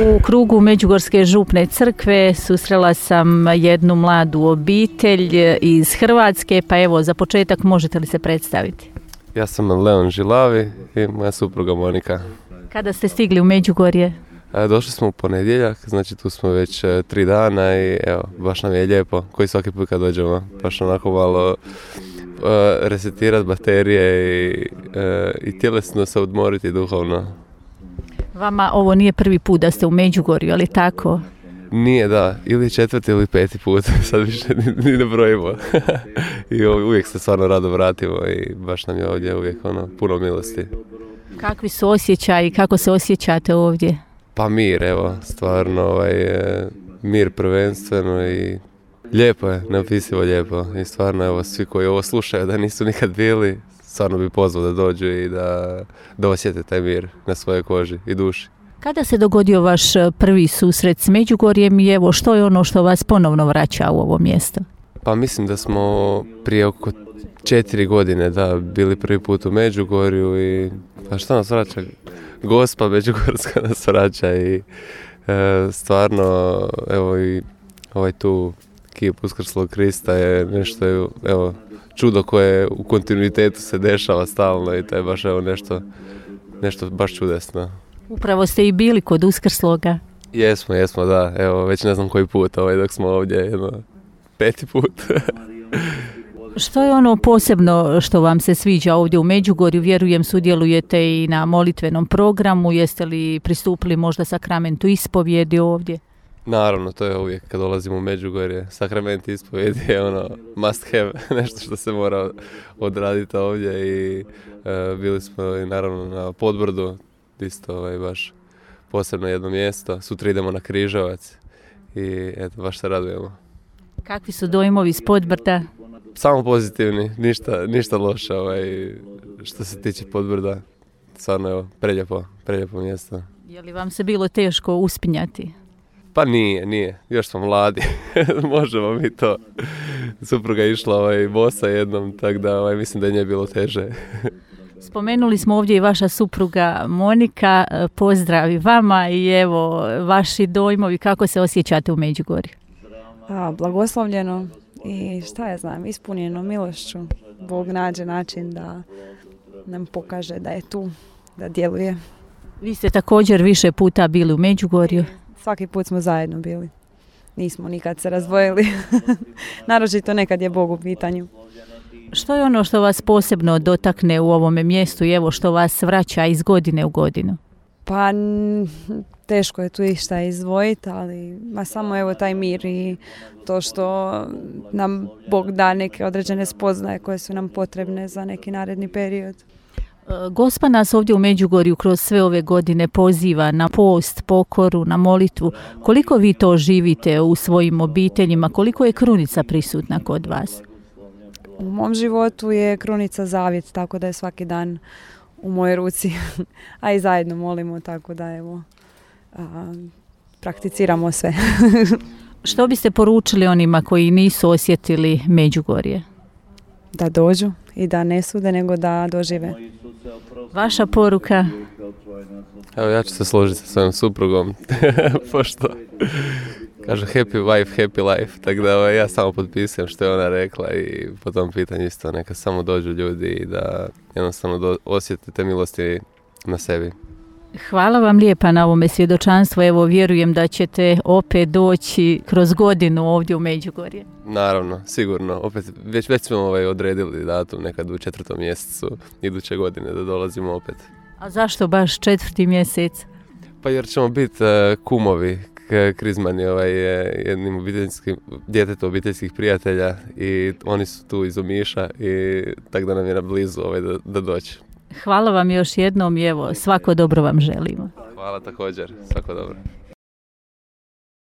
U krugu Međugorske župne crkve susrela sam jednu mladu obitelj iz Hrvatske, pa evo za početak možete li se predstaviti? Ja sam Leon Žilavi i moja supruga Monika. Kada ste stigli u Međugorje? Došli smo u ponedjeljak, znači tu smo već 3 dana i evo, baš nam je lijepo, koji svaki put kad dođemo, baš onako malo resetirati baterije i tjelesno se odmoriti duhovno. Vama ovo nije prvi put da ste u Međugorju, ali tako? Nije, da, ili 4. ili 5. put, sad više ni ne brojimo. I uvijek se stvarno rado vratimo i baš nam je ovdje uvijek puno milosti. Kakvi su osjećaji, kako se osjećate ovdje? Pa mir, evo, stvarno mir prvenstveno i lijepo je, neopisivo lijepo. I stvarno, evo, svi koji ovo slušaju da nisu nikad bili, stvarno bi pozvao da dođu i da osjete taj mir na svojoj koži i duši. Kada se dogodio vaš prvi susret s Međugorjem i evo što je ono što vas ponovno vraća u ovo mjesto? Pa mislim da smo prije oko 4 godine bili prvi put u Međugorju i a što nas vraća? Gospa Međugorska nas vraća i stvarno evo i ovaj tu kip Uskrslog Krista je nešto evo čudo koje u kontinuitetu se dešava stalno i to je baš evo nešto baš čudesno. Upravo ste i bili kod Uskrsloga. Jesmo, da. Evo, već ne znam koji put, dok smo ovdje, 5. put. Što je ono posebno što vam se sviđa ovdje u Međugorju? Vjerujem, sudjelujete i na molitvenom programu. Jeste li pristupili možda sakramentu ispovjedi ovdje? Naravno, to je uvijek kad dolazimo u Međugorje. Sakrament ispovjedi je must have, nešto što se mora odraditi ovdje i bili smo i naravno na Podbrdu, isto baš posebno jedno mjesto. Sutra idemo na Križevac i eto, baš se radujemo. Kakvi su dojmovi s Podbrda? Samo pozitivni, ništa loše što se tiče Podbrda. Stvarno evo, preljepo mjesto. Je li vam se bilo teško uspinjati? Pa nije. Još smo mladi. Možemo mi to. Supruga je išla bosa jednom, tako da mislim da je nje bilo teže. Spomenuli smo ovdje i vaša supruga Monika. Pozdrav i vama i evo vaši dojmovi, kako se osjećate u Međugorju? Blagoslovljeno i šta ja znam, ispunjeno milošću. Bog nađe način da nam pokaže da je tu, da djeluje. Vi ste također više puta bili u Međugorju. Svaki put smo zajedno bili. Nismo nikad se razdvojili. Naročito nekad je Bog u pitanju. Što je ono što vas posebno dotakne u ovome mjestu i evo što vas vraća iz godine u godinu? Pa teško je tu išta izdvojiti, ali samo evo taj mir i to što nam Bog da neke određene spoznaje koje su nam potrebne za neki naredni period. Gospa nas ovdje u Međugorju kroz sve ove godine poziva na post, pokoru, na molitvu. Koliko vi to živite u svojim obiteljima? Koliko je krunica prisutna kod vas? U mom životu je krunica zavjet, tako da je svaki dan u mojoj ruci, a i zajedno molimo, tako da evo, prakticiramo sve. Što biste poručili onima koji nisu osjetili Međugorje? Da dođu i da ne sude, nego da dožive. Vaša poruka? Evo, ja ću se složiti sa svojom suprugom, pošto kaže happy wife, happy life, tako da ja samo potpisujem što je ona rekla i po tom pitanju isto neka samo dođu ljudi i da jednostavno osjetite milosti na sebi. Hvala vam lijepa na ovome svjedočanstvu. Evo, vjerujem da ćete opet doći kroz godinu ovdje u Međugorje. Naravno, sigurno. Opet, već smo odredili datum nekad u 4. mjesecu iduće godine da dolazimo opet. A zašto baš 4. mjesec? Pa jer ćemo biti kumovi. Krizman je jednim djetetom obiteljskih prijatelja i oni su tu iz Omiša i tako da nam je na blizu da doći. Hvala vam još jednom i evo, svako dobro vam želimo. Hvala također, svako dobro.